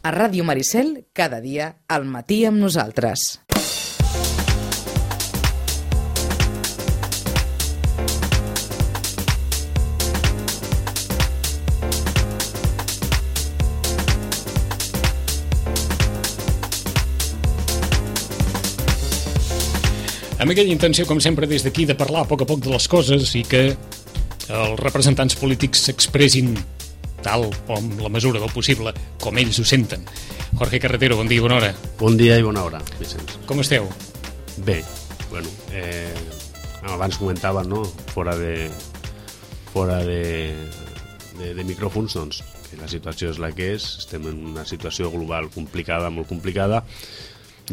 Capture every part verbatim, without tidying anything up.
A Ràdio Maricel, cada dia, al matí amb nosaltres. Amb aquella intenció, com sempre, des d'aquí, de parlar a poc a poc de les coses i que els representants polítics s'expressin tal o amb la mesura del possible, com ells ho senten. Jorge Carretero, bon dia i bona hora. Bon dia i bona hora, Vicenç. Com esteu? Bé, bueno, eh, abans comentava, no?, fora de fora de, de, de micròfons, doncs, que la situació és la que és, estem en una situació global complicada, molt complicada,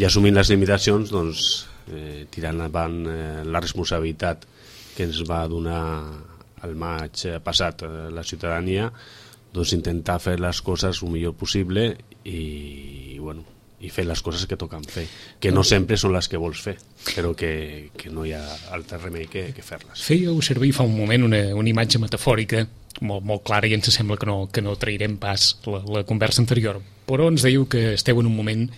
i assumint les limitacions, doncs, eh, tirant avant eh, la responsabilitat que ens va donar el maig passat eh, la ciutadania, doncs intentar fer les coses el millor possible i, bueno, i fer les coses que toquen fer, que no sempre són les que vols fer, però que, que no hi ha altre remei que, que fer-les. Fèieu servir fa un moment una, una imatge metafòrica molt, molt clara i ens sembla que no, que no trairem pas la, la conversa anterior, però ens dèieu que esteu en un moment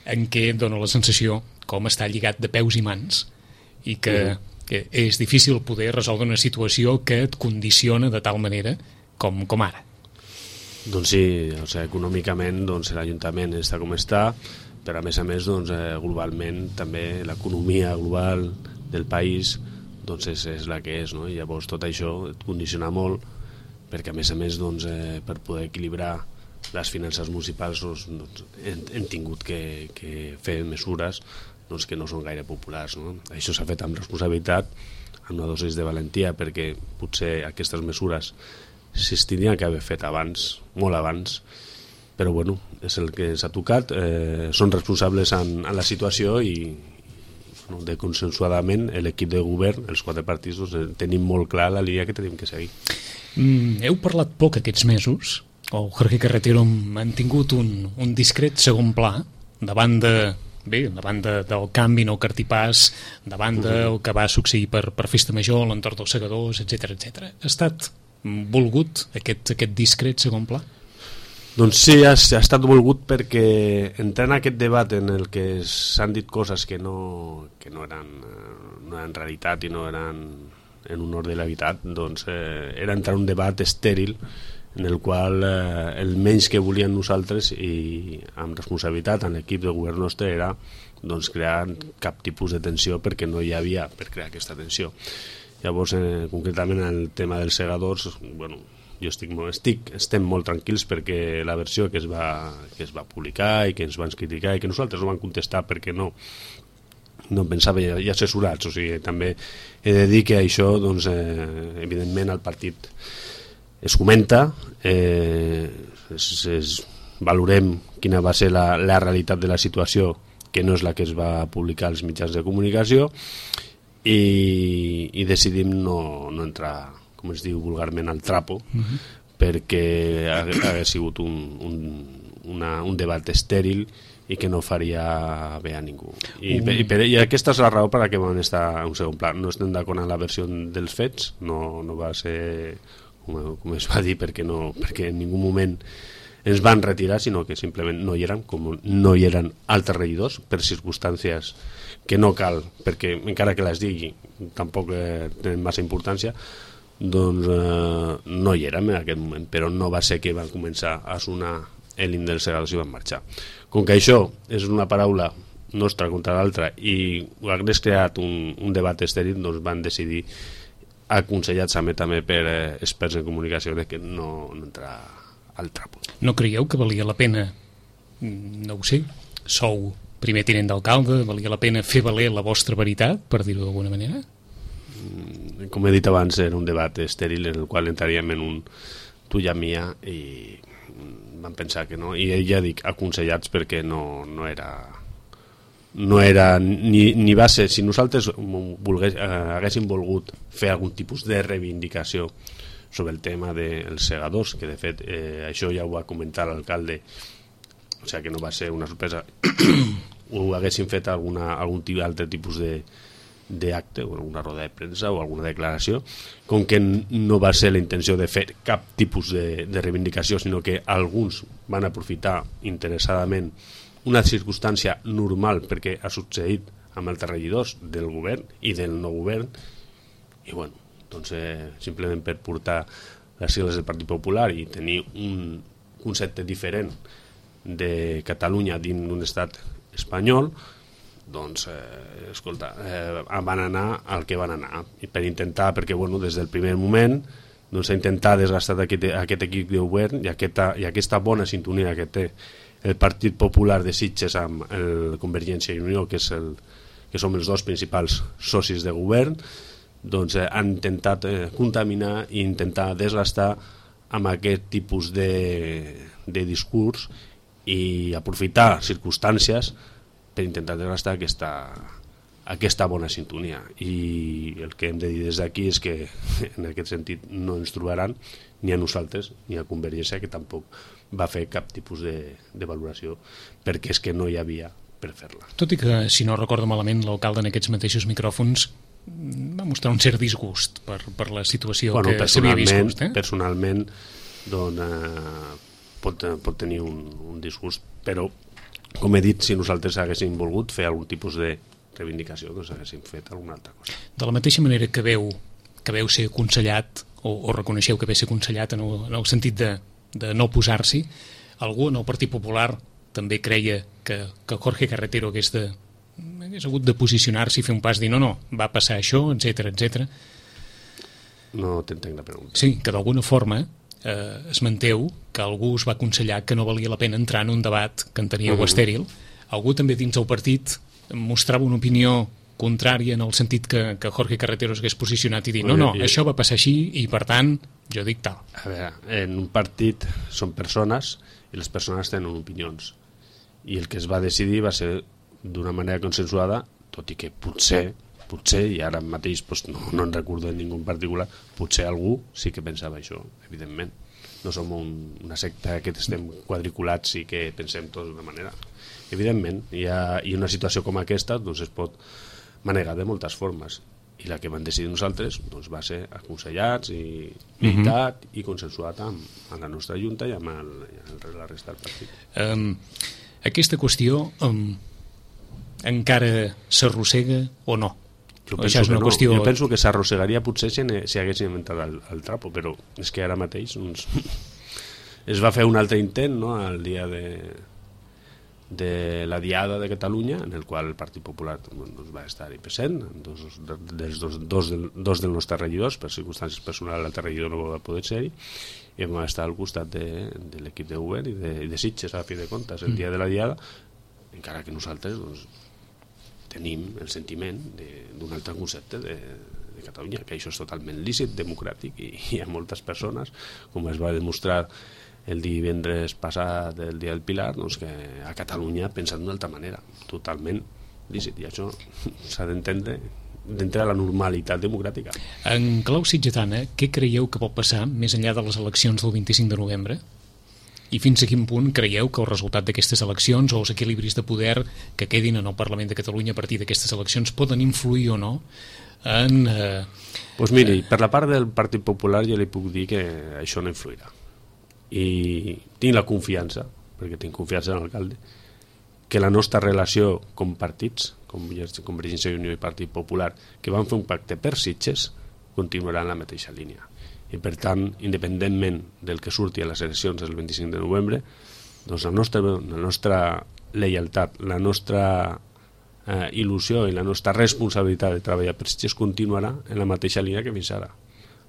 en què dona la sensació com està lligat de peus i mans i que, mm. que és difícil poder resoldre una situació que et condiciona de tal manera com, com ara. Doncs sí, o sigui, econòmicament doncs, l'Ajuntament està com està, però a més a més doncs, eh, globalment també l'economia global del país doncs, és, és la que és, no? I llavors tot això et condiciona molt perquè a més a més doncs, eh, per poder equilibrar les finances municipals doncs, doncs, hem, hem tingut que, que fer mesures doncs, que no són gaire populars, no? Això s'ha fet amb responsabilitat, amb una dosis de valentia, perquè potser aquestes mesures s'es tindrien que haver fet abans, molt abans, però bueno, és el que s'ha tocat, eh, són responsables en, en la situació i bueno, de consensuadament l'equip de govern, els quatre partits, doncs, tenim molt clar la línia que tenim que seguir. Mm, heu parlat poc aquests mesos, o Jorge Carretero han tingut un, un discret segon pla davant de bé, davant de, del canvi no cartipàs, davant del que va succeir per, per Festa Major, l'entorn dels segadors, etcètera, etcètera. Ha estat volgut aquest, aquest discret segon pla? Doncs sí, ha, ha estat volgut perquè entrar en aquest debat en el que s'han dit coses que no, que no, eren, no eren realitat i no eren en honor de la veritat, doncs eh, era entrar en un debat estèril en el qual eh, el menys que volíem nosaltres i amb responsabilitat en l'equip de govern nostre era doncs, crear cap tipus de tensió perquè no hi havia per crear aquesta tensió. Llavors, eh, concretament en el tema dels segadors, bueno, jo estic, estic, estem molt tranquils perquè la versió que es, va, que es va publicar i que ens van criticar i que nosaltres no vam contestar perquè no no pensava ja, ja assessorats, o sigui, també he de dir que això, doncs, eh, evidentment el partit es comenta, eh, es, es, valorem quina va ser la, la realitat de la situació, que no és la que es va publicar als mitjans de comunicació, i, i decidim no, no entrar, com es diu vulgarment, al trapo, uh-huh. perquè hagués sigut un, un, una, un debat estèril i que no faria bé a ningú. I, uh-huh. i, per, I aquesta és la raó per a què vam estar en un segon pla. No estem d'acord amb la versió dels fets, no, no va ser com, com es va dir, perquè, no, perquè en ningú moment ens van retirar, sinó que simplement no hi eren, com no hi eren altres regidors, per circumstàncies que no cal, perquè encara que les digui tampoc eh, tenen massa importància, doncs eh, no hi érem en aquest moment, però no va ser que van començar a sonar l'himne dels segadors i van marxar. Com que això és una paraula nostra contra l'altra i hagués creat un, un debat estèril, doncs van decidir, aconsellats també, també per eh, experts en comunicació, de que no, no entrar al trapo. No creieu que valia la pena, no ho sé, sou primer tinent d'alcalde, valia la pena fer valer la vostra veritat, per dir-ho d'alguna manera? Com he dit abans, era un debat estèril en el qual entraríem en un tu i a mia i vam pensar que no, i ja dic aconsellats perquè no, no era no era ni, ni va ser, si nosaltres volgués, eh, haguéssim volgut fer algun tipus de reivindicació sobre el tema dels segadors, que de fet eh, això ja ho va comentar l'alcalde, o sigui que no va ser una sorpresa, o haguéssim fet alguna, algun altre tipus de, d'acte o alguna roda de premsa o alguna declaració, com que no va ser la intenció de fer cap tipus de, de reivindicació, sinó que alguns van aprofitar interessadament una circumstància normal perquè ha succeït amb els regidors del govern i del no govern, i bueno, doncs eh, simplement per portar les sigles del Partit Popular i tenir un concepte diferent de Catalunya dins d'un estat espanyol, doncs, eh, escolta, eh, van anar al que van anar, i per intentar, perquè bueno, des del primer moment doncs, ha intentat desgastar aquest, aquest equip de govern i aquesta, i aquesta bona sintonia que té el Partit Popular de Sitges amb el Convergència i Unió, que, és el, que som els dos principals socis de govern, doncs eh, han intentat eh, contaminar i intentar desgastar amb aquest tipus de, de discurs i aprofitar circumstàncies per intentar desgastar aquesta, aquesta bona sintonia. I el que hem de dir des d'aquí és que en aquest sentit no ens trobaran ni a nosaltres ni a Convergència, que tampoc va fer cap tipus de, de valoració, perquè és que no hi havia per fer-la. Tot i que, si no recordo malament, l'alcalde en aquests mateixos micròfons va mostrar un cert disgust per, per la situació bueno, que s'havia viscut. Eh? Personalment doncs, eh, pot, pot tenir un, un disgust, però com he dit, si nosaltres haguéssim volgut fer algun tipus de reivindicació, doncs haguéssim fet alguna altra cosa. De la mateixa manera que veu, que veu ser aconsellat, o, o reconeixeu que ve ser aconsellat en el, en el sentit de, de no posar-s'hi, algú en el Partit Popular també creia que, que Jorge Carretero hagués, de, hagués hagut de posicionar-s'hi i fer un pas, dir no, no, va passar això, etcètera, etcètera. No t'entenc la pregunta. Sí, que d'alguna forma eh, esmenteu que algú us va aconsellar que no valia la pena entrar en un debat que enteníeu uh-huh. estèril. Algú també dins del partit mostrava una opinió contrària en el sentit que, que Jorge Carretero s'hagués posicionat i dir no, no, això va passar així i per tant jo dic tal. A veure, en un partit són persones i les persones tenen opinions i el que es va decidir va ser d'una manera consensuada, tot i que potser potser, i ara mateix doncs, no, no en recordo de ningú en particular, potser algú sí que pensava això, evidentment. No som un, una secta que estem quadriculats i que pensem tots d'una manera. Evidentment, hi ha, i una situació com aquesta doncs, es pot manegar de moltes formes, i la que vam decidir nosaltres doncs, va ser aconsellats i meditat uh-huh. i consensuat amb, amb la nostra junta i amb, el, amb la resta del partit. Um, aquesta qüestió um, encara s'arrossega o no? Jo penso, que no. Qüestió... jo penso que s'arrossegaria potser si, si haguéssim inventat el, el trapo, però és que ara mateix doncs, es va fer un altre intent, no?, el dia de, de la Diada de Catalunya, en el qual el Partit Popular doncs, va estar-hi present, dos, dels dos, dos, del, dos dels nostres regidors, per circumstàncies personals l'altre regidor no va poder ser-hi, i vam estar al costat de, de l'equip de govern i de, de Sitges, a fi de comptes, el dia de la Diada, encara que nosaltres doncs, tenim el sentiment d'un altre concepte de, de Catalunya, que això és totalment lícit, democràtic, i hi ha moltes persones, com es va demostrar el divendres passat, el dia del Pilar, doncs que a Catalunya pensen d'una altra manera, totalment lícit, i això s'ha d'entendre d'entrar a la normalitat democràtica. En clau sitgetana, què creieu que pot passar més enllà de les eleccions del vint-i-cinc de novembre? I fins a quin punt creieu que el resultat d'aquestes eleccions o els equilibris de poder que quedin en el Parlament de Catalunya a partir d'aquestes eleccions poden influir o no en... Eh, pues miri, per la part del Partit Popular jo li puc dir que això no influirà. I tinc la confiança, perquè tinc confiança en l'alcalde, que la nostra relació com partits, com Convergència i Unió i Partit Popular, que van fer un pacte per Sitges, continuarà en la mateixa línia. I per tant, independentment del que surti a les eleccions del vint-i-cinc de novembre, doncs la nostra, la nostra lleialtat, la nostra eh, il·lusió i la nostra responsabilitat de treballar per Sitges continuarà en la mateixa línia que fins ara,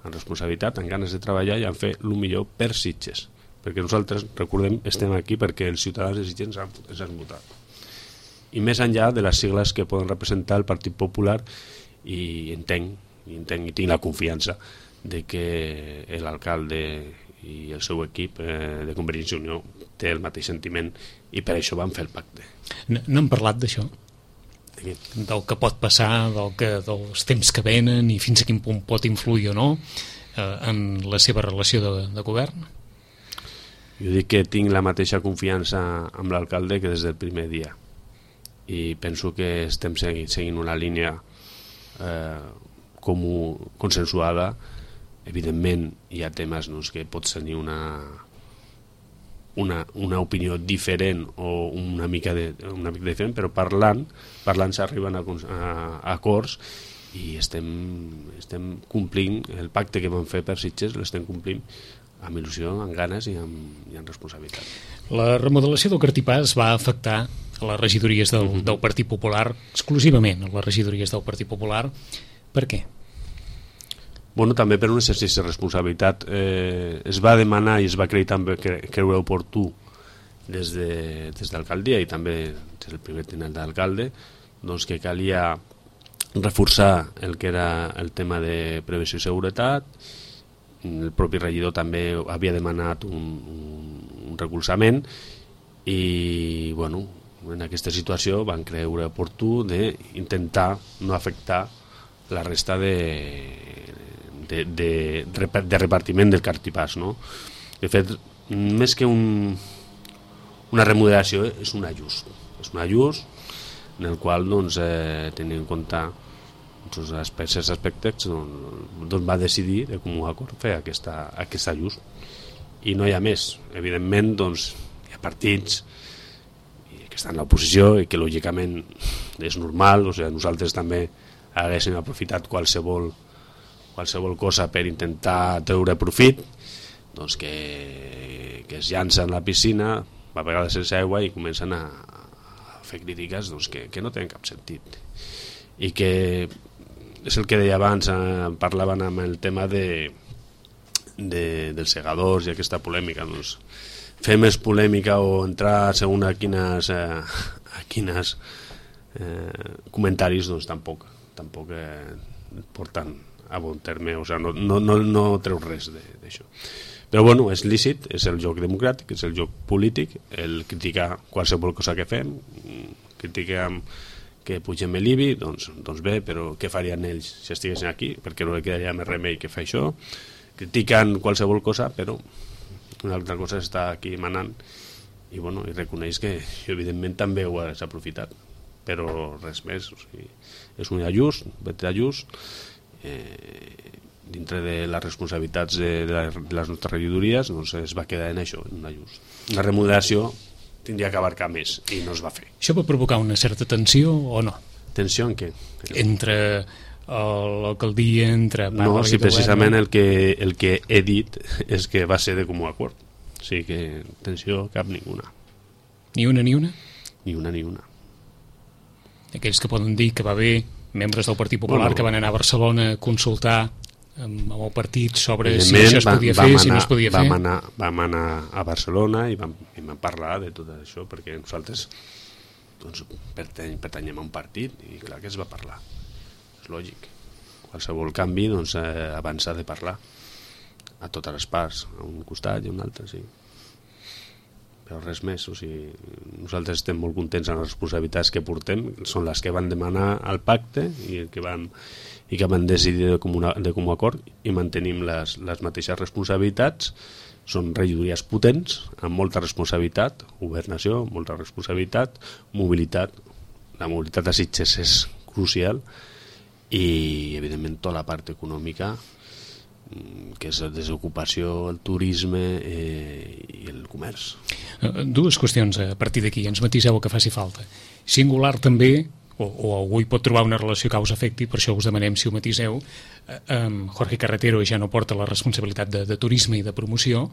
amb responsabilitat, amb ganes de treballar i amb fer el millor per Sitges, perquè nosaltres, recordem, estem aquí perquè els ciutadans de Sitges ens han, ens han votat. I més enllà de les sigles que poden representar el Partit Popular, i entenc, i entenc i tinc la confiança de que l'alcalde i el seu equip eh, de Convergència i Unió té el mateix sentiment i per això van fer el pacte. No, no hem parlat d'això? Del que pot passar, del que, dels temps que venen i fins a quin punt pot influir o no eh, en la seva relació de, de govern? Jo dic que tinc la mateixa confiança amb l'alcalde que des del primer dia i penso que estem seguint, seguint una línia eh, comú, consensuada. Evidentment hi ha temes doncs, que pots tenir una, una, una opinió diferent o una mica, de, una mica diferent, però parlant parlant s'arriben a, a, a acords i estem, estem complint el pacte que vam fer per Sitges, l'estem complint amb il·lusió, amb ganes i amb, i amb responsabilitat. La remodelació del Cartipàs va afectar a les regidories del, uh-huh. del Partit Popular, exclusivament a les regidories del Partit Popular. Per què? Bueno, també per un exercici de responsabilitat. Eh, es va demanar i es va creure també que creure oportú des de, des d'alcaldia i també des del primer tinent d'alcalde, doncs que calia reforçar el que era el tema de prevenció i seguretat. El propi regidor també havia demanat un, un, un recolzament i, bueno, en aquesta situació van creure oportú d'intentar no afectar la resta de De, de, de repartiment del Cartipàs, no? De fet, més que un, una remodelació, és un ajust. És un ajust en el qual doncs, eh, tenint en compte els aspectes, aspectes doncs, doncs va decidir de comú acord fer aquesta, aquest ajust. I no hi ha més. Evidentment, doncs, hi ha partits que estan a l'oposició i que lògicament és normal, o sigui, nosaltres també haguéssim aprofitat qualsevol qualsevol cosa per intentar treure profit, doncs que, que es llancen a la piscina, a vegades sense aigua, i comencen a, a fer crítiques doncs, que, que no tenen cap sentit. I que és el que deia abans, eh, parlaven amb el tema de, de, dels segadors i aquesta polèmica. Doncs, fer més polèmica o entrar segons a quines, eh, a quines eh, comentaris, doncs tampoc, tampoc eh, porten a bon terme, o sigui, no, no, no, no treu res d'això. Però bueno, és lícit, és el joc democràtic, és el joc polític, el criticar qualsevol cosa que fem, critiquem que pugem l'I B I, doncs, doncs bé, però què farien ells si estiguessin aquí? Perquè no li quedaria més remei que fer això. Critiquen qualsevol cosa, però una altra cosa està aquí manant i, bueno, i reconeix que evidentment també ho has aprofitat, però res més. O sigui, és un ajust, un petit ajust, Eh, dintre de les responsabilitats de, de, de les nostres regidories, doncs es va quedar en això, en un ajust. La remodelació tindria que abarcar més i no es va fer. Això va provocar una certa tensió o no? Tensió en què? Entre l'alcaldia, entre... No, si precisament el que, el que he dit és que va ser de comú acord. O sigui que tensió cap ninguna. Ni una ni una? Ni una ni una. Aquells que poden dir que va bé membres del Partit Popular bueno, que van anar a Barcelona a consultar amb, amb el partit sobre si això es podia fer, anar, si no es podia vam fer. Anar, vam anar a Barcelona i vam, i vam parlar de tot això, perquè nosaltres doncs, pertany, pertanyem a un partit i clar que es va parlar. És lògic. Qualsevol canvi doncs, eh, abans s'ha de parlar a totes les parts, a un costat i a un altre, sí. Però res més, o sigui, nosaltres estem molt contents amb les responsabilitats que portem, són les que van demanar al pacte i que van, i que van decidir de comú, de comú acord, i mantenim les, les mateixes responsabilitats. Són regidories potents, amb molta responsabilitat, governació, molta responsabilitat, mobilitat. La mobilitat de Sitges és crucial i, evidentment, tota la part econòmica, que és la desocupació, el turisme eh, i el comerç. Dues qüestions a partir d'aquí, ens matiseu el que faci falta. Singular també, o, o algú hi pot trobar una relació causa-efecte, per això us demanem si ho matiseu, eh, Jorge Carretero ja no porta la responsabilitat de, de turisme i de promoció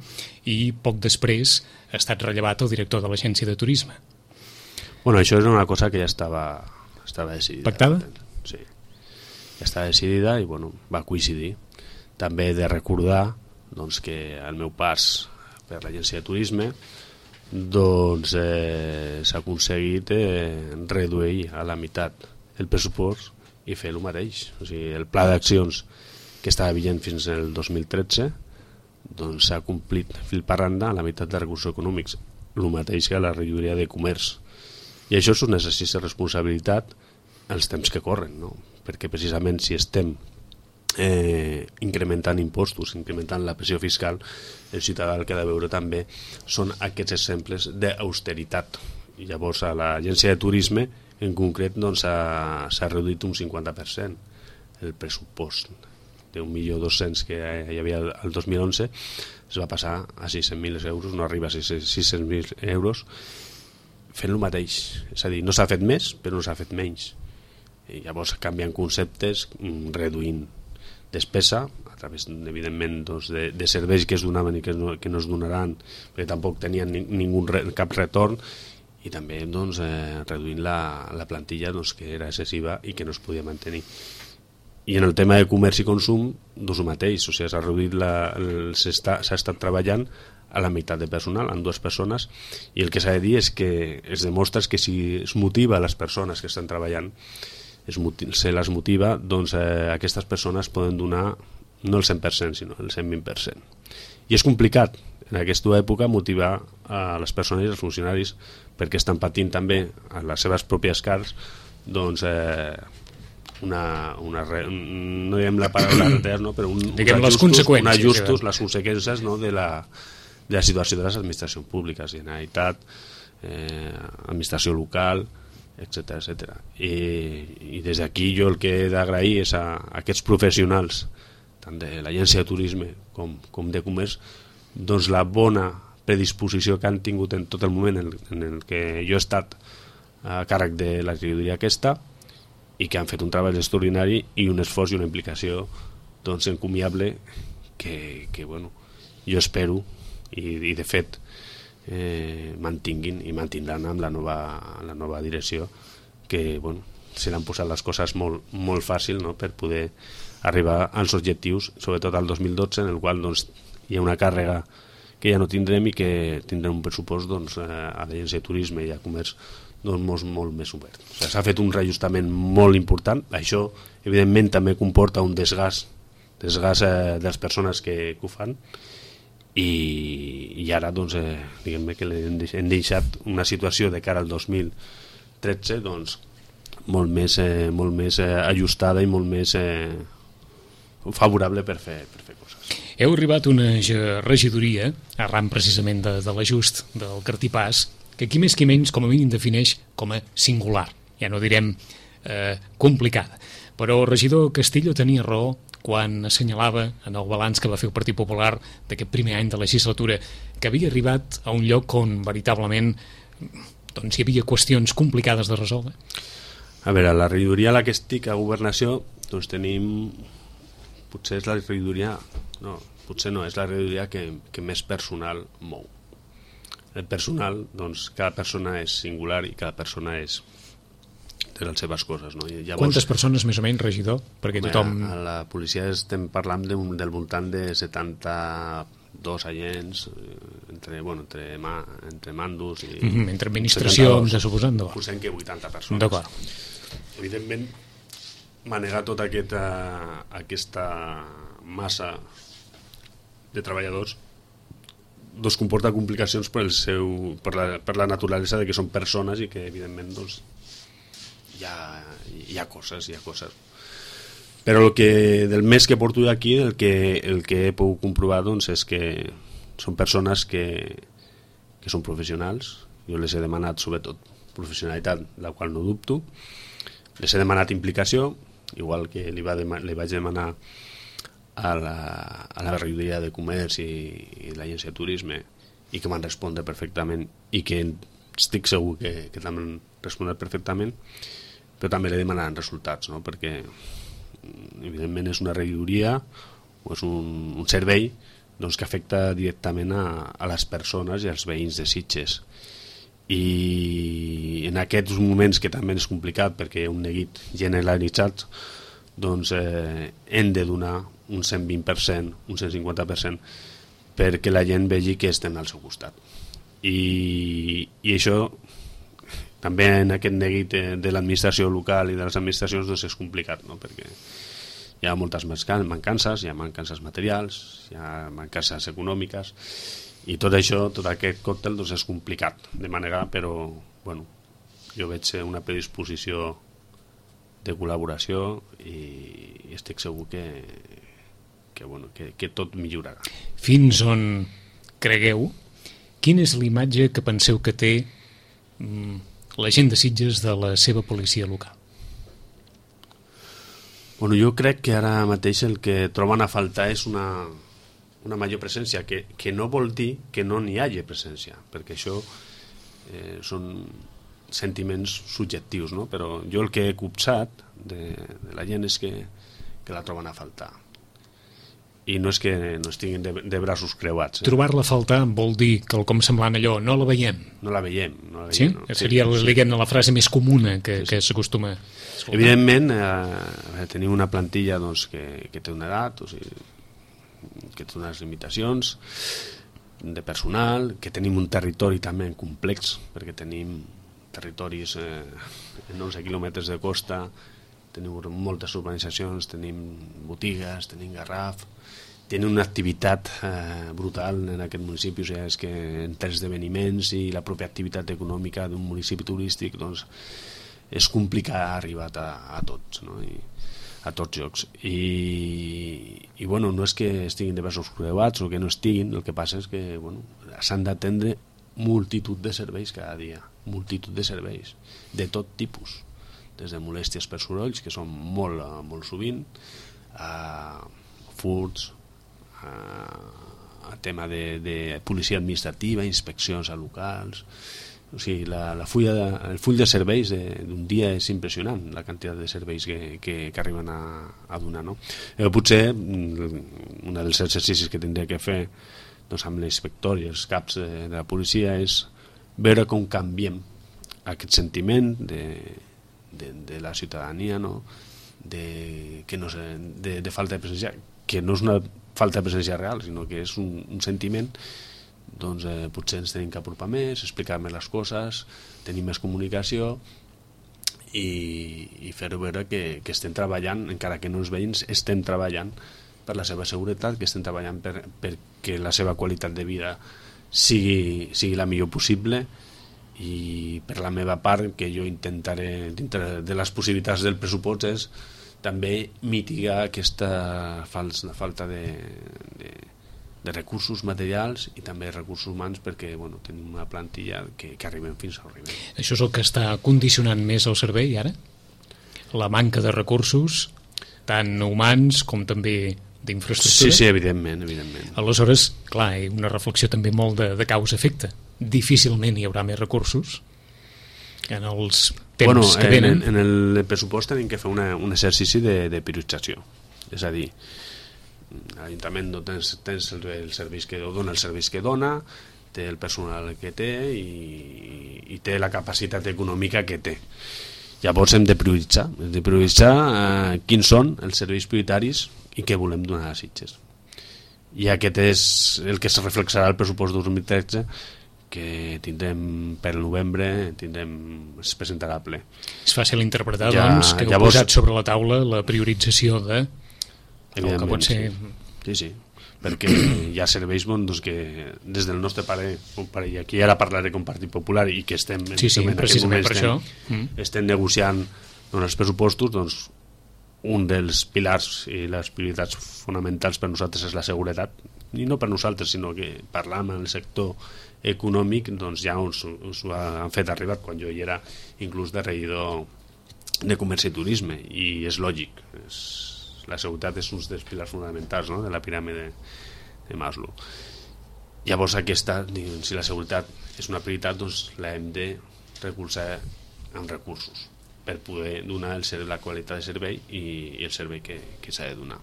i poc després ha estat rellevat el director de l'agència de turisme. Bueno, això és una cosa que ja estava, estava decidida. Pactada? Sí, ja estava decidida i bueno, va coincidir. També he de recordar doncs, que el meu pas per l'agència de turisme doncs, eh, s'ha aconseguit eh, reduir a la meitat el pressupost i fer el mateix. O sigui, el pla d'accions que estava vigent fins al dos mil tretze doncs, s'ha complit fil per randa a la meitat de recursos econòmics, el mateix que a la regidoria de comerç. I això és un exercici de responsabilitat els temps que corren, no? Perquè precisament si estem Eh, incrementant impostos, incrementant la pressió fiscal, el ciutadà el que ha de veure també són aquests exemples d'austeritat. I llavors a l'agència de turisme en concret doncs, s'ha reduït un cinquanta per cent el pressupost d'un milió dos-cents que hi havia el dos mil onze es va passar a sis-cents mil euros, no arriba a sis-cents mil euros, fent el mateix. És a dir, no s'ha fet més, però no s'ha fet menys. I llavors canvien conceptes, reduint despesa, a través, evidentment, doncs, de, de serveis que es donaven i que no, que no es donaran, perquè tampoc tenien ni, ningú, cap retorn, i també doncs, eh, reduint la, la plantilla doncs, que era excessiva i que no es podia mantenir. I en el tema de comerç i consum, doncs el mateix, o sigui, s'ha reduït la, el, s'ha estat treballant a la meitat de personal, amb dues persones, i el que s'ha de dir és que es demostra que si es motiva a les persones que estan treballant, es, se les motiva, doncs eh, aquestes persones poden donar no el cent per cent, sinó el cent vint per cent. I és complicat, en aquesta època, motivar a les persones i als funcionaris perquè estan patint també a les seves pròpies cars, doncs... Eh, una, una no diguem la paraula retard, no? Però un, diguem uns ajustos, les conseqüències, un ajustos, les conseqüències, no? de, la, de la situació de les administracions públiques, Generalitat, eh, administració local, etcètera, etcètera. I, i des d'aquí jo el que he d'agrair és a, a aquests professionals, tant de l'agència de turisme com, com de comerç, doncs la bona predisposició que han tingut en tot el moment en, en el que jo he estat a càrrec de la regidoria aquesta, i que han fet un treball extraordinari i un esforç i una implicació doncs, encomiable que, que bueno, jo espero i, i de fet eh, mantinguin i mantindran amb la nova, la nova direcció, que bueno, se l'han posat les coses molt, molt fàcil, no? Per poder arribar als objectius, sobretot al dos mil dotze, en el qual doncs, hi ha una càrrega que ja no tindrem i que tindrem un pressupost doncs, a l'agència de turisme i a comerç doncs molt, molt més obert. O sigui, s'ha fet un reajustament molt important. Això, evidentment, també comporta un desgast, desgast eh, de les persones que, que ho fan, i, i ara doncs, eh, diguem que hem deixat una situació de cara al dos mil tretze doncs, molt més, eh, molt més eh, ajustada i molt més eh, favorable per fer, per fer coses. Heu arribat a una regidoria, arran precisament de, de l'ajust del cartipàs, que qui més qui menys com a mínim defineix com a singular, ja no direm eh, complicada. Però el regidor Castillo tenia raó quan assenyalava en el balanç que va fer el Partit Popular d'aquest primer any de legislatura que havia arribat a un lloc on veritablement doncs, hi havia qüestions complicades de resoldre. A veure, la regidoria a la que estic a Governació doncs tenim, potser és la regidoria no, potser no, és la regidoria que, que més personal mou. El personal, doncs, cada persona és singular i cada persona és de les seves coses. No? I llavors, quantes persones més o menys, regidor? Perquè tothom... A la policia estem parlant de, del voltant de setanta-dos agents, entre, bueno, entre, ma, entre mandos i... Mm -hmm, entre administracions, ja suposant. Posem que vuitanta persones. D'acord. Evidentment, manegar tota aquesta, aquesta massa de treballadors doncs comporta complicacions per, el seu, per, la, per la naturalesa de que són persones i que evidentment doncs, hi, ha, hi ha coses, hi ha coses. Però el que, del mes que porto aquí, el que, el que he pogut comprovar doncs, és que són persones que, que són professionals. Jo les he demanat sobretot professionalitat, la qual no dubto. Les he demanat implicació, igual que li, va dema, li vaig demanar a la, a la regidoria de comerç i, i l'agència de turisme, i que m'han respondre perfectament i que estic segur que, que també han responut perfectament, però també li demanen resultats, no? Perquè evidentment és una regidoria o és un, un servei doncs, que afecta directament a, a les persones i als veïns de Sitges, i en aquests moments que també és complicat perquè hi ha un neguit generalitzat, doncs eh, hem de donar un cent vint per cent, un cent cinquanta per cent perquè la gent vegi que estem al seu costat, i, i això també en aquest neguit de l'administració local i de les administracions doncs és complicat, no? Perquè hi ha moltes mancances, hi ha mancances materials, hi ha mancances econòmiques, i tot això, tot aquest còctel doncs és complicat de manegar, però bueno, jo veig una predisposició de col·laboració i estic segur que, que, bueno, que, que tot millorarà. Fins on cregueu, quina és l'imatge que penseu que té mm, la gent de Sitges de la seva policia local? Bueno, jo crec que ara mateix el que troben a faltar és una, una major presència, que, que no vol dir que no n'hi hagi presència, perquè això eh, són sentiments subjectius, no? Però jo el que he copsat de, de la gent és que, que la troben a faltar. I no és que no estiguin de, de braços creuats. Eh? Trobar-la a faltar vol dir que el com semblant allò no la veiem. No la veiem. No la veiem Sí? no. Seria sí, sí. la frase més comuna que, sí, sí. que s'acostuma. Evidentment, eh, tenim una plantilla doncs, que, que té una edat, o sigui, que té unes limitacions de personal, que tenim un territori també complex, perquè tenim territoris eh, en onze quilòmetres de costa, tenim moltes urbanitzacions, tenim botigues, tenim Garraf, tenim una activitat eh, brutal en aquest municipi, o sigui, és que entre esdeveniments i la pròpia activitat econòmica d'un municipi turístic doncs, és complicat arribar a, a tots, no? I, a tots llocs. I, i bueno, no és que estiguin de braços creuats o que no estiguin, el que passa és que bueno, s'han d'atendre multitud de serveis cada dia, multitud de serveis, de tot tipus, des de molèsties per sorolls, que són molt, molt sovint, a furts, a, a tema de, de policia administrativa, inspeccions a locals. O sigui, la, la fulla de, el full de serveis d'un dia és impressionant, la quantitat de serveis que, que, que arriben a, a donar, no? Eh, potser un dels exercicis que tindria que fer doncs, amb l'inspector i els caps de, de la policia és veure com canviem aquest sentiment de, de, de la ciutadania, no? de, que no sé, de, de falta de presència, que no és una falta de presència real, sinó que és un, un sentiment. Doncs eh, potser ens tenim que apropar més, explicar més les coses, tenir més comunicació i, i fer-ho veure que, que estem treballant, encara que no els veïns, estem treballant per la seva seguretat, que estem treballant per, perquè la seva qualitat de vida sigui, sigui la millor possible, i per la meva part, que jo intentaré, dintre de les possibilitats del pressupost, és també mitigar aquesta falsa, falta de, de de recursos materials i també recursos humans, perquè bueno, tenim una plantilla que, que arribem fins a arribar. Això és el que està condicionant més el servei ara? La manca de recursos, tant humans com també d'infraestructura? Sí, sí, evidentment, evidentment. Aleshores, clar, hi ha una reflexió també molt de, de causa-efecte. Difícilment hi haurà més recursos en els temps bueno, que venen. En, en el pressupost tenim que fer una, un exercici de, de priorització. És a dir, l'Ajuntament no tens, tens el, el serveis que dona, el serveis que dona, té el personal que té i, i té la capacitat econòmica que té. Llavors hem de prioritzar, hem de prioritzar eh, quins són els serveis prioritaris i què volem donar a Sitges. I aquest és el que es reflexarà al pressupost dos mil tretze, que tindrem per novembre, tindrem, es presentarà a ple. És fàcil interpretar, ja, doncs, que heu llavors, posat sobre la taula la priorització de el que pot ser... Sí, sí, perquè hi ha serveis bons doncs, que des del nostre pare, pare i aquí ara parlaré com Partit Popular i que estem sí, sí, en precisament per estem, això mm. estem negociant doncs, els pressupostos, doncs un dels pilars i les prioritats fonamentals per nosaltres és la seguretat, i no per nosaltres, sinó que parlant amb el sector econòmic, doncs ja us, us ho han fet arribar quan jo hi era inclús de regidor de Comerç i Turisme, i és lògic, és la seguretat és un dels pilars fonamentals, no?, de la piràmide de Maslow. Llavors aquesta, si la seguretat és una prioritat, doncs l'hem de recolzar amb recursos per poder donar el, la qualitat de servei i, i el servei que, que s'ha de donar.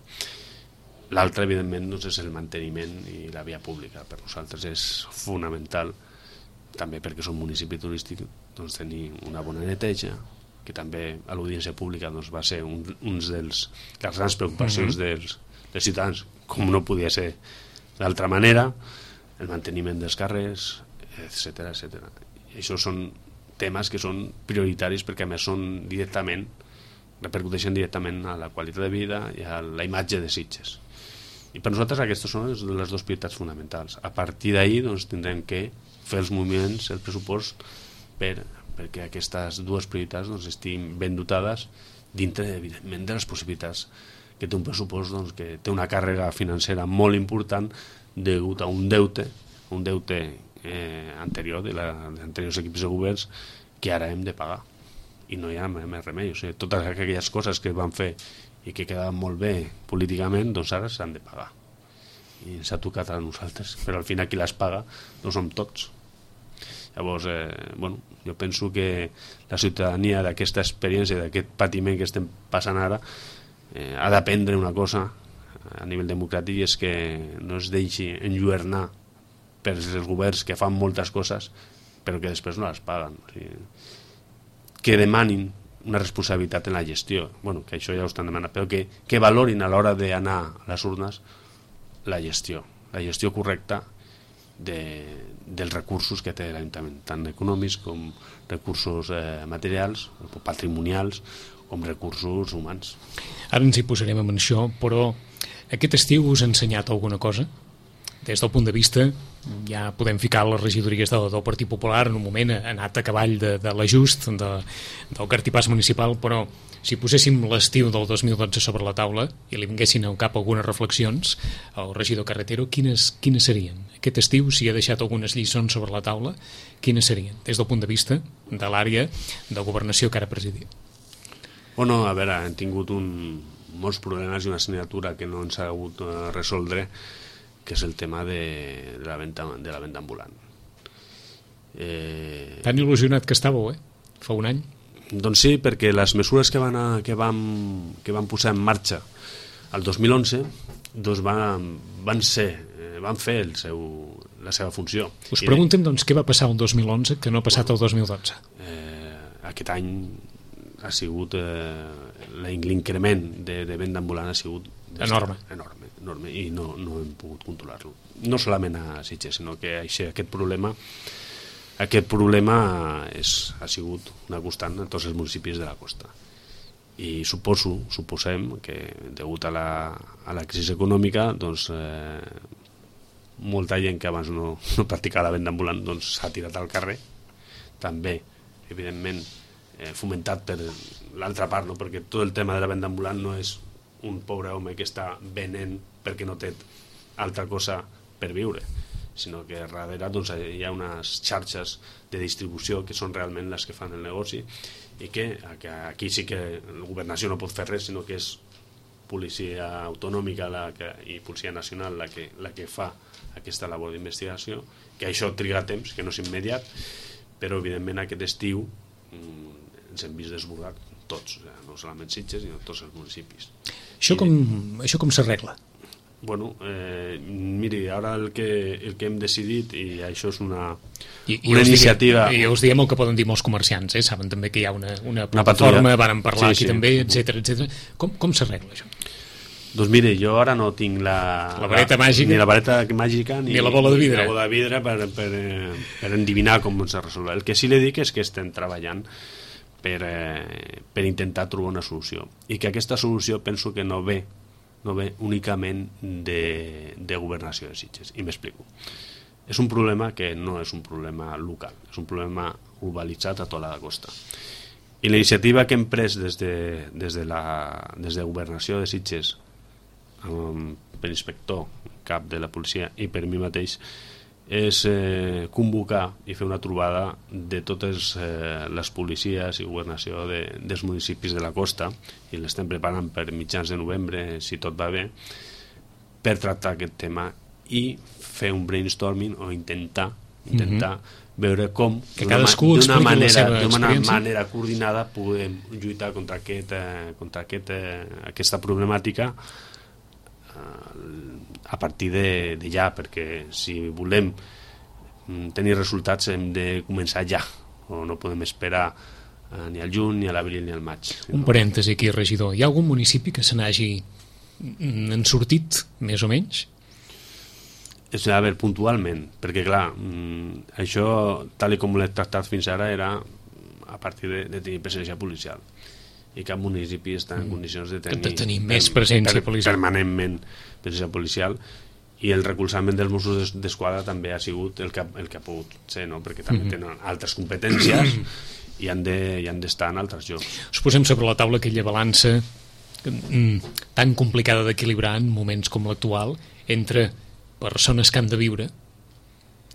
L'altre, evidentment, doncs, és el manteniment i la via pública. Per nosaltres és fonamental, també perquè som municipi turístic, doncs, tenir una bona neteja, que també a l'audiència pública doncs, va ser un, un dels les grans preocupacions mm-hmm. dels, dels ciutadans, com no podia ser d'altra manera, el manteniment dels carrers, etcètera, etcètera. I això són temes que són prioritaris perquè a més són directament, repercuteixen directament a la qualitat de vida i a la imatge de Sitges. I per nosaltres aquestes són les, les dues prioritats fonamentals. A partir d'ahir doncs, tindrem que fer els moviments, el pressupost, per perquè aquestes dues prioritats doncs, estiguin ben dotades dintre, evidentment, de les possibilitats que té un pressupost doncs, que té una càrrega financera molt important degut a un deute, un deute eh, anterior de la, dels anteriors equips de governs que ara hem de pagar. I no hi ha més remei. O sigui, totes aquelles coses que van fer i que quedaven molt bé políticament, doncs ara s'han de pagar. I ens ha tocat a nosaltres, però al final qui les paga no som tots. Llavors, eh, bueno, jo penso que la ciutadania d'aquesta experiència, d'aquest patiment que estem passant ara, eh, ha d'aprendre una cosa a nivell democràtic, i és que no es deixi enlluernar per els governs que fan moltes coses però que després no les paguen. O sigui, que demanin una responsabilitat en la gestió, bueno, que això ja ho estan demanant, però que, que valorin a l'hora d'anar a les urnes la gestió, la gestió correcta de, dels recursos que té l'Ajuntament, tant econòmics com recursos eh, materials, patrimonials, com recursos humans. Ara ens hi posarem amb això, però aquest estiu us ha ensenyat alguna cosa? Des del punt de vista, ja podem ficar les regidories del, del Partit Popular, en un moment ha anat a cavall de, de l'ajust de, del cartipàs municipal, però si poséssim l'estiu del dos mil dotze sobre la taula i li vinguessin al cap algunes reflexions al regidor Carretero, quines, quines serien? Aquest estiu, si ha deixat algunes lliçons sobre la taula, quines serien? Des del punt de vista de l'àrea de governació que ara presidia. Bueno, a veure, hem tingut un, molts problemes i una assignatura que no ens ha hagut de resoldre, que és el tema de, de, la, venda, de la venda ambulant. Eh... Tan il·lusionat que estàveu, eh? Fa un any. Doncs sí, perquè les mesures que van, a, que vam, que van posar en marxa el dos mil onze doncs van, van, ser, van fer el seu, la seva funció. Us preguntem, doncs, què va passar el dos mil onze que no ha passat el dos mil dotze? Eh, aquest any ha sigut eh, l'increment de, de venda ambulant ha sigut enorme. enorme enorme i no, no hem pogut controlar-lo, no solament a Sitges, sinó que això, aquest problema aquest problema és, ha sigut una constant en tots els municipis de la costa, i suposo, suposem que degut a la, a la crisi econòmica doncs eh, molta gent que abans no, no practicava la venda ambulant doncs s'ha tirat al carrer, també evidentment eh, fomentat per l'altra part, no? Perquè tot el tema de la venda ambulant no és un pobre home que està venent perquè no té altra cosa per viure, sinó que darrere doncs, hi ha unes xarxes de distribució que són realment les que fan el negoci, i que, que aquí sí que la governació no pot fer res, sinó que és policia autonòmica la que, i policia nacional la que, la que fa aquesta labor d'investigació, que això triga temps, que no és immediat, però evidentment aquest estiu mm, ens hem vist desbordat tots, o sigui, no solament Sitges, sinó tots els municipis. Això com, això com s'arregla? Bueno, eh, miri, ara el que, el que hem decidit, i això és una, I, i una iniciativa... I us diem el que poden dir molts comerciants, eh? Saben també que hi ha una, una plataforma, varen parlar sí, aquí sí. també, etcètera, etcètera. Com, com s'arregla això? Doncs mire, jo ara no tinc la... La vareta la, màgica. Ni la vareta màgica, ni, ni la bola de vidre. Ni la bola de vidre per, per, per endivinar com s'ha resolt. El que sí li dic és que estem treballant per, eh, per intentar trobar una solució. I que aquesta solució penso que no ve, no ve únicament de, de governació de Sitges. I m'explico. És un problema que no és un problema local, és un problema urbanitzat a tota la costa. I la iniciativa que hem pres des de, des de, la, des de governació de Sitges, um, per inspector, cap de la policia i per mi mateix, és eh, convocar i fer una trobada de totes eh, les policies i governació de, dels municipis de la costa, i l'estem preparant per mitjans de novembre, si tot va bé, per tractar aquest tema i fer un brainstorming o intentar intentar mm-hmm. veure com que cadascú d'una manera, d'una manera coordinada podem lluitar contra, aquest, eh, contra aquest, eh, aquesta problemàtica a partir de, de ja, perquè si volem tenir resultats hem de començar ja, o no podem esperar eh, ni al juny, ni a l'abril, ni al maig. Un parèntesi aquí, regidor. Hi ha algun municipi que se n'hagi en sortit, més o menys? És a veure, puntualment, perquè clar, això, tal com l'he tractat fins ara, era a partir de, de tenir presència policial. I cap municipi està en condicions de tenir, de tenir més presència per, policial. permanentment presència policial, i el recolzament dels Mossos d'Esquadra també ha sigut el que, el que ha pogut ser, no? Perquè també mm-hmm. tenen altres competències i han de, i han d'estar en altres llocs. Us posem sobre la taula aquella balança mm, tan complicada d'equilibrar en moments com l'actual entre persones que han de viure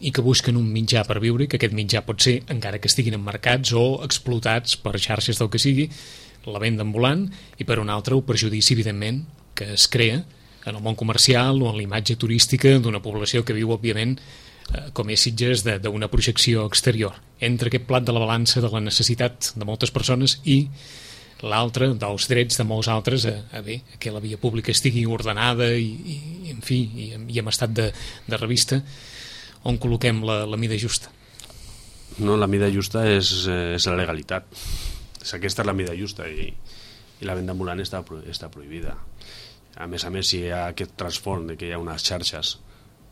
i que busquen un mitjà per viure, i que aquest mitjà pot ser, encara que estiguin emmarcats o explotats per xarxes del que sigui, la venda ambulant, i per un altre el perjudici, evidentment, que es crea en el món comercial o en la imatge turística d'una població que viu, òbviament, eh, com és Sitges, d'una projecció exterior. Entre aquest plat de la balança de la necessitat de moltes persones i l'altre dels drets de molts altres a, a bé, a que la via pública estigui ordenada i, i en fi, i, i en estat de, de revista, on col·loquem la, la mida justa. No, la mida justa és, és la legalitat. És aquesta és la mida justa i, i la venda ambulant està, està prohibida. A més a més, si hi ha aquest transform de que hi ha unes xarxes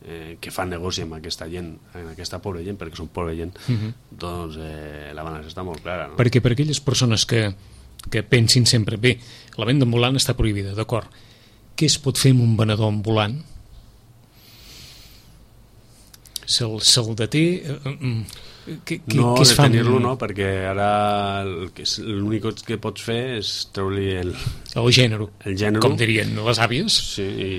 eh, que fan negoci amb aquesta gent, amb aquesta pobra gent, perquè són pobra gent, uh-huh. doncs eh, la balança està molt clara. No? Perquè per aquelles persones que que pensin sempre, bé, la venda ambulant està prohibida, d'acord, què es pot fer amb un venedor ambulant? Se'l se deté? Què, què, no, què es fa? detenir-lo no, perquè ara l'únic que pots fer és treure-li el... El gènere, el gènere, com dirien les àvies. Sí, i,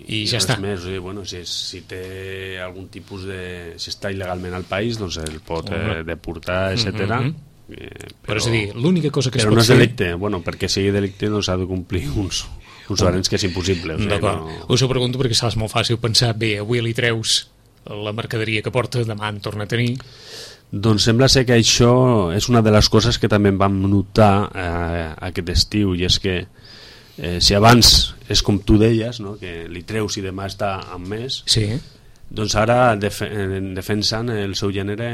i, i ja està. Més, o sigui, bueno, si, si té algun tipus de... Si està il·legalment al país, doncs el pot eh, deportar, etcètera. Mm-hmm. Eh, però, però és a dir, l'única cosa que es pot pot no és fer... delicte, bueno, perquè sigui delicte no s'ha de complir uns, uns barents que és impossible. O sigui, d'acord, no... us ho pregunto perquè saps molt fàcil pensar, bé, avui li treus la mercaderia que porta, demà en torna a tenir. Doncs sembla ser que això és una de les coses que també vam notar eh, aquest estiu, i és que eh, si abans és com tu deies, no? Que li treus i demà està amb més, sí. Doncs ara def defensen el seu gènere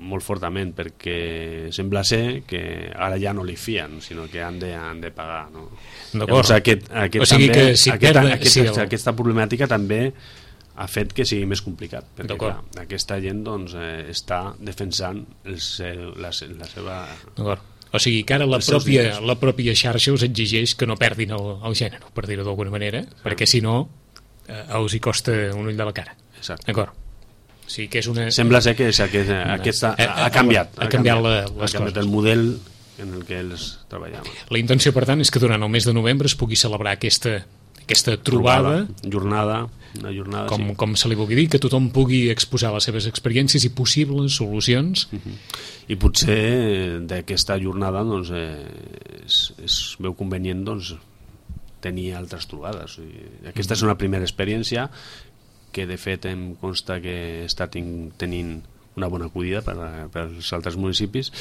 molt fortament, perquè sembla ser que ara ja no li fien, sinó que han de, han de pagar, no? Llavors, aquest, aquest o sigui també, que si aquesta, perda, aquesta, sí, el... aquesta problemàtica també ha fet que sigui més complicat, perquè clar, aquesta gent doncs, eh, està defensant el seu, la, la seva... O sigui que ara la pròpia, la pròpia xarxa us exigeix que no perdin el, el gènere, per dir-ho d'alguna manera, sí. Perquè si no eh, us hi costa un ull de la cara. D'acord. O sigui que és una... Sembla ser que aquesta, aquesta ha, ha canviat, ha canviat, la, ha les canviat coses. El model en el que ells treballaven. La intenció, per tant, és que durant el mes de novembre es pugui celebrar aquesta, aquesta trobada, trobada jornada, una jornada, com, sí. com se li vulgui dir, que tothom pugui exposar les seves experiències i possibles solucions. Uh -huh. I potser d'aquesta jornada doncs, eh, es, es veu convenient doncs, tenir altres trobades. I aquesta uh -huh. és una primera experiència que de fet em consta que està tenint una bona acollida per, per als altres municipis,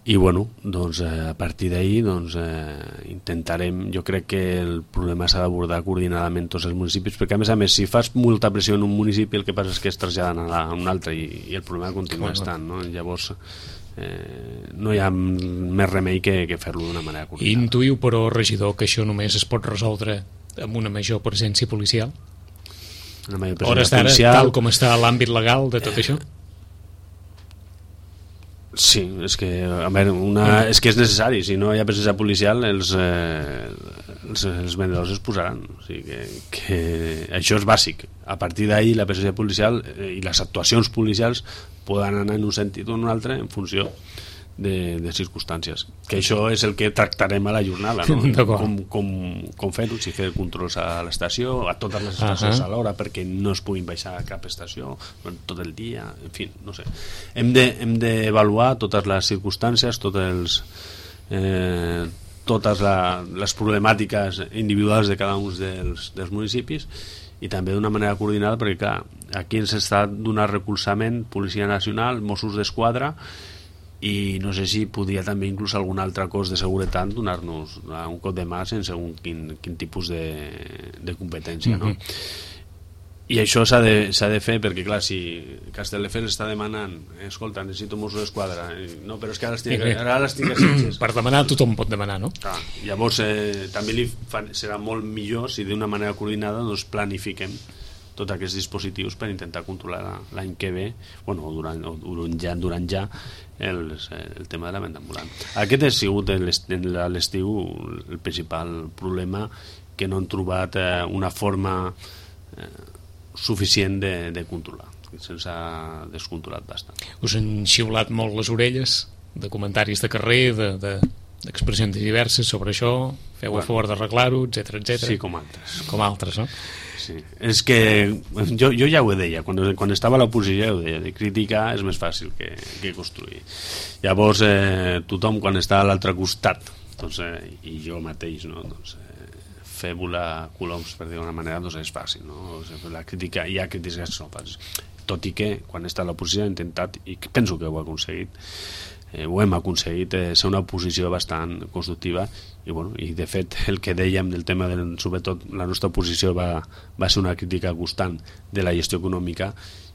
i bueno, doncs a partir d'ahir doncs, eh, intentarem, jo crec que el problema s'ha d'abordar coordinadament tots els municipis, perquè a més a més si fas molta pressió en un municipi el que passa és que es traslladen a, a un altre i, i el problema continua estant, no? Llavors eh, no hi ha més remei que, que fer-lo d'una manera coordinada. Intuïu, però, regidor, que això només es pot resoldre amb una major presència policial? Hores d'ara, tal com està l'àmbit legal de tot eh, això? Sí, és que, a veure, una, és que és necessari. Si no hi ha presència policial, els, eh, els, els vendedors es posaran. O sigui que, que això és bàsic. A partir d'ahir, la presència policial eh, i les actuacions policials poden anar en un sentit o en un altre en funció de, de circumstàncies. Que això és el que tractarem a la jornada, no? Com, com, com fer-ho, si fer controls a l'estació, a totes les estacions uh -huh. a l'hora, perquè no es puguin baixar a cap estació tot el dia, en fi, no sé. Hem d'avaluar de, totes les circumstàncies, tots els, eh, totes la, les problemàtiques individuals de cada un dels, dels municipis, i també d'una manera coordinada, perquè clar, aquí ens està donant recolzament Policia Nacional, Mossos d'Esquadra, i no sé si podria també inclús algun altre cos de seguretat donar-nos un cop de mà sense un quin, quin tipus de, de competència, no? Mm-hmm. I això s'ha de, s'ha de fer perquè clar, si Castelldefels està demanant escolta, necessito Mossos d'Esquadra, no, però és que ara les tinc, ara les tinc a Sitges. Per demanar tothom pot demanar, no? Ah, llavors eh, també li fa, serà molt millor si d'una manera coordinada doncs planifiquem tots aquests dispositius per intentar controlar l'any que ve, bueno, durant, o durant ja, durant ja el, el tema de la venda ambulant. Aquest ha sigut a l'estiu el principal problema, que no han trobat eh, una forma eh, suficient de, de controlar, se'ns ha descontrolat bastant. Us han xiulat molt les orelles de comentaris de carrer, de, de expressions diverses sobre això, feu bueno. a favor d'arreglar-ho, etcètera, etcètera. Sí, com altres. Com altres, no? Sí. És que jo, jo ja ho deia, quan, quan estava a l'oposició ho deia, de criticar és més fàcil que, que construir. Llavors, eh, tothom quan està a l'altre costat, doncs, eh, i jo mateix, no? doncs, eh, fer volar coloms, per dir d'una manera, doncs és fàcil, no? O sigui, la crítica, hi ha crítiques que són fàcils. Tot i que, quan està a l'oposició, he intentat, i penso que ho he aconseguit, eh, ho hem aconseguit, eh, ser una oposició bastant constructiva, i, bueno, i de fet el que dèiem del tema del, sobretot la nostra oposició va, va ser una crítica constant de la gestió econòmica,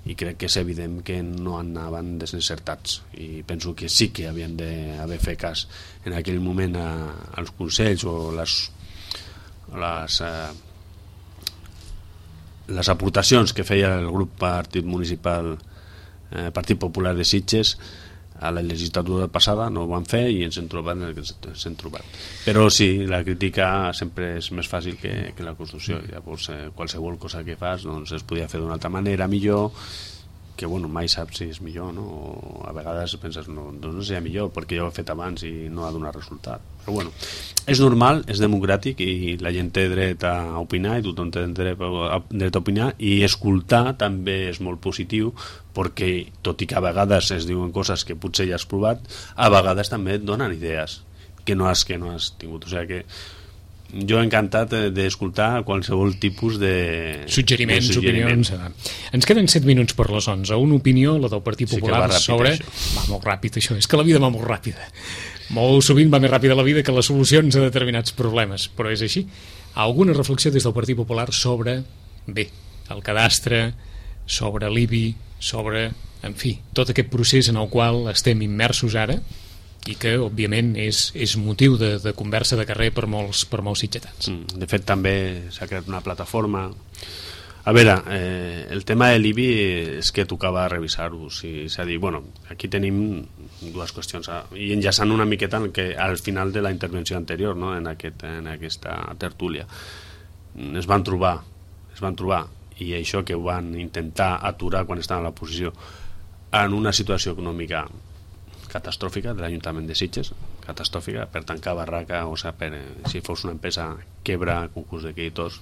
i crec que és evident que no anaven desencertats, i penso que sí que havien d'haver fet cas en aquell moment a, als consells o les les, eh, les aportacions que feia el grup Partit Municipal eh, Partit Popular de Sitges a la legislatura passada. No ho van fer i ens hem trobat en el que ens hem trobat. Però sí, la crítica sempre és més fàcil que, que la construcció. Llavors, eh, qualsevol cosa que fas doncs, es podia fer d'una altra manera, millor, que bueno, mai saps si és millor, no? O a vegades penses, no, doncs no seria millor perquè ja ho he fet abans i no ha donat resultat. Però bueno, és normal, és democràtic i la gent té dret a opinar i tothom té dret a, dret a opinar, i escoltar també és molt positiu, perquè tot i que a vegades es diuen coses que potser ja has provat, a vegades també et donen idees que no has, que no has tingut. O sigui que jo he encantat d'escoltar qualsevol tipus de suggeriments, de suggeriments. opinions. Ens queden set minuts per les onze. Una opinió, la del Partit Popular, sí sobre... Això. Va molt ràpid, això. És que la vida va molt ràpida. Molt sovint va més ràpida la vida que les solucions a determinats problemes, però és així. Alguna reflexió des del Partit Popular sobre, bé, el cadastre, sobre l'I B I, sobre, en fi, tot aquest procés en el qual estem immersos ara, i que, òbviament, és, és motiu de, de conversa de carrer per molts, per molts sitgetans. Mm, de fet, també s'ha creat una plataforma. A veure, eh, el tema de l'I B I és que tocava revisar-ho. Sí, és a dir, bueno, aquí tenim dues qüestions, i enllaçant una miqueta en que, al final de la intervenció anterior, no? en, aquest, en aquesta tertúlia, es van trobar, es van trobar, i això que ho van intentar aturar quan estaven a l'oposició, en una situació econòmica catastròfica de l'Ajuntament de Sitges, catastròfica per tancar barraca, o sigui, per, si fos una empresa quebra, concurs de creditors,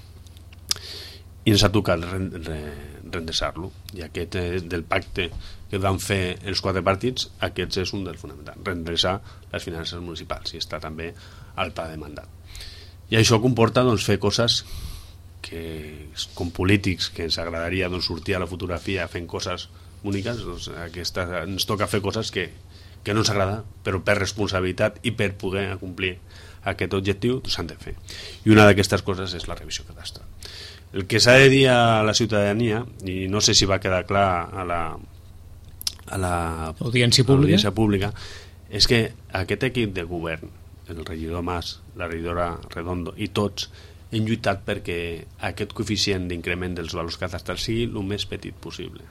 i ens ha tocat rendreçar-lo, i aquest del pacte que van fer els quatre partits, aquests és un dels fonamentals, rendreçar les finances municipals, i està també al pla de mandat. I això comporta doncs, fer coses que, com polítics, que ens agradaria doncs, sortir a la fotografia fent coses boniques, doncs, aquesta, ens toca fer coses que que no ens agrada, però per responsabilitat i per poder complir aquest objectiu s'han de fer. I una d'aquestes coses és la revisió cadastral. El que s'ha de dir a la ciutadania, i no sé si va quedar clar a la, a la audiència pública, pública, és que aquest equip de govern, el regidor Mas, la regidora Redondo i tots, hem lluitat perquè aquest coeficient d'increment dels valors cadastrals sigui el més petit possible.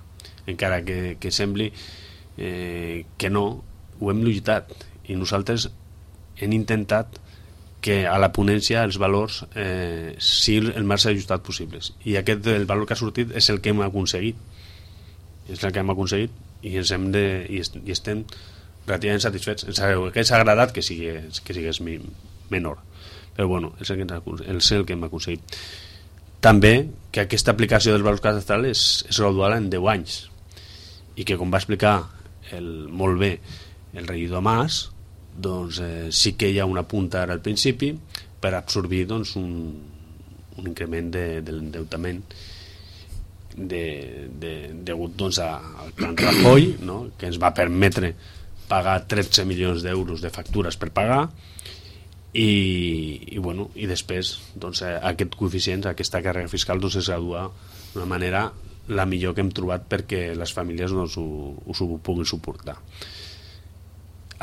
Encara que, que sembli eh, que no, ho hem lluitat, i nosaltres hem intentat que a la ponència els valors eh, siguin el més ajustat possibles, i aquest el valor que ha sortit és el que hem aconseguit és el que hem aconseguit i, ens hem de, i, est, i estem relativament satisfets. Ens hauria agradat que sigués, que sigués menor, però bueno, és el que, és el que hem aconseguit. També que aquesta aplicació dels valors cadastrals és, és gradual en deu anys, i que, com va explicar el, molt bé el regidor Mas, doncs eh, sí que hi ha una punta ara al principi per absorbir doncs, un, un increment de, de l'endeutament de, de, degut doncs, a, al plan Rajoy, no? Que ens va permetre pagar tretze milions d'euros de factures per pagar, i, i, bueno, i després doncs, aquest coeficient, aquesta càrrega fiscal doncs, es gradua d'una manera la millor que hem trobat perquè les famílies doncs, ho, ho, ho puguin suportar.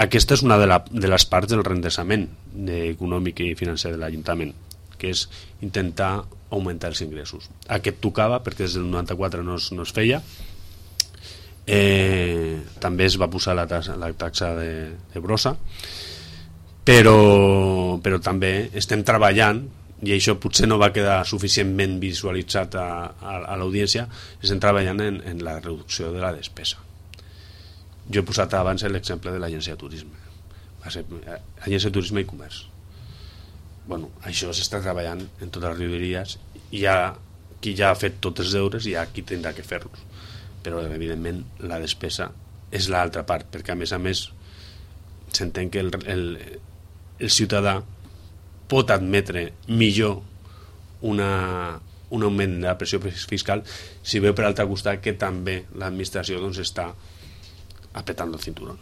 Aquesta és una de, la, de les parts del rendreçament econòmic i financer de l'Ajuntament, que és intentar augmentar els ingressos. Aquest tocava perquè des del noranta-quatre no es, no es feia. Eh, també es va posar la taxa, la taxa de, de brossa, però, però també estem treballant, i això potser no va quedar suficientment visualitzat a, a, a l'audiència, estem treballant en, en la reducció de la despesa. Jo he posat abans l'exemple de l'agència de turisme. va ser Agència de Turisme i Comerç. Bueno, això s'està treballant en totes les regidories, hi ha qui ja ha fet tots els deures i hi ha qui tindrà que fer-los, però evidentment la despesa és l'altra part, perquè a més a més s'entén que el, el, el ciutadà pot admetre millor una, un augment de la pressió fiscal si veu per altre costat que també l'administració doncs, està apretant el cinturón.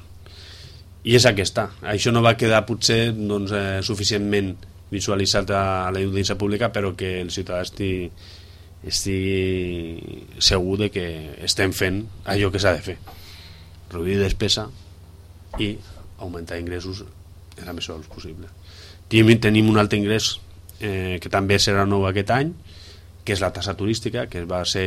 I és aquesta. Això no va quedar potser doncs, eh, suficientment visualitzat a la audiència pública, però que el ciutadà estigui, estigui segur de que estem fent allò que s'ha de fer. Reduir despesa i augmentar ingressos en la mesura del possible. Tenim un altre ingrés eh, que també serà nou aquest any, que és la tassa turística, que va ser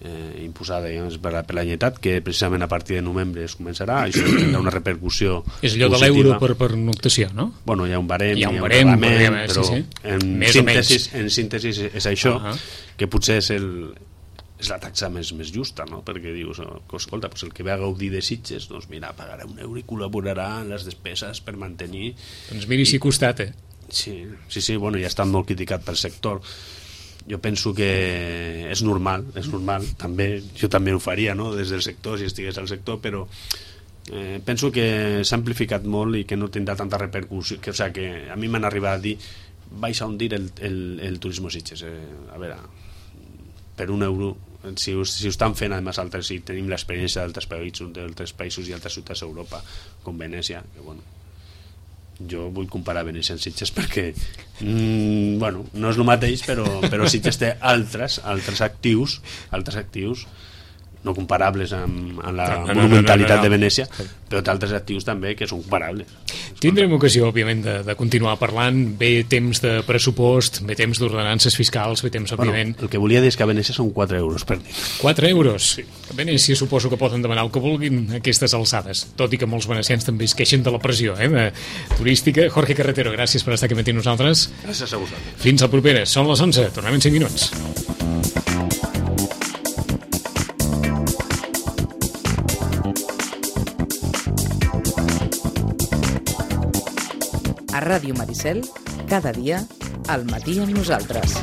eh, imposada digamos, per, la, per la Generalitat, que precisament a partir de novembre es començarà. Això tindrà una repercussió és allò de l'euro per, per noctació, no? Bueno, hi ha un barem, hi ha un, hi ha un barem, reglament, barem, però sí, sí. En, Més síntesis, en síntesis és això, uh -huh. que potser és el és la taxa més, més justa, no? Perquè dius, oh, escolta, pues el que ve a gaudir de Sitges, doncs mira, pagarà un euro i col·laborarà en les despeses per mantenir... Doncs miri si costata. Sí, sí, sí, bueno, ja està molt criticat pel sector. Jo penso que és normal, és normal, també, jo també ho faria, no?, des del sector, si estigués al sector, però eh, penso que s'ha amplificat molt i que no tindrà tanta repercussió, que, o sigui, que a mi m'han arribat a dir vais a hundir el, el, el turisme Sitges. Eh, a veure, per un euro, si ho, si ho estan fent, además, altres, si tenim l'experiència d'altres països, d'altres països i altres ciutats d'Europa, com Venècia, que bueno, jo vull comparar Venècia amb Sitges perquè mm, bueno, no és el mateix, però, però Sitges té altres, altres actius altres actius no comparables amb, amb la no, no, monumentalitat no, no, no, no. de Venècia, però té altres actius també que són comparables. Tindrem ocasió, òbviament, de, de continuar parlant. Ve temps de pressupost, ve temps d'ordenances fiscals, ve temps, òbviament... Bueno, el que volia dir és que a Venècia són quatre euros per nit. quatre euros? Sí. A Venècia suposo que poden demanar el que vulguin a aquestes alçades, tot i que molts venecians també es queixen de la pressió eh, de turística. Jorge Carretero, gràcies per estar aquí amb nosaltres. Gràcies a vosaltres. Fins al proper. Són les onze, tornem en cinc minuts. A Ràdio Maricel, cada dia, al matí amb nosaltres.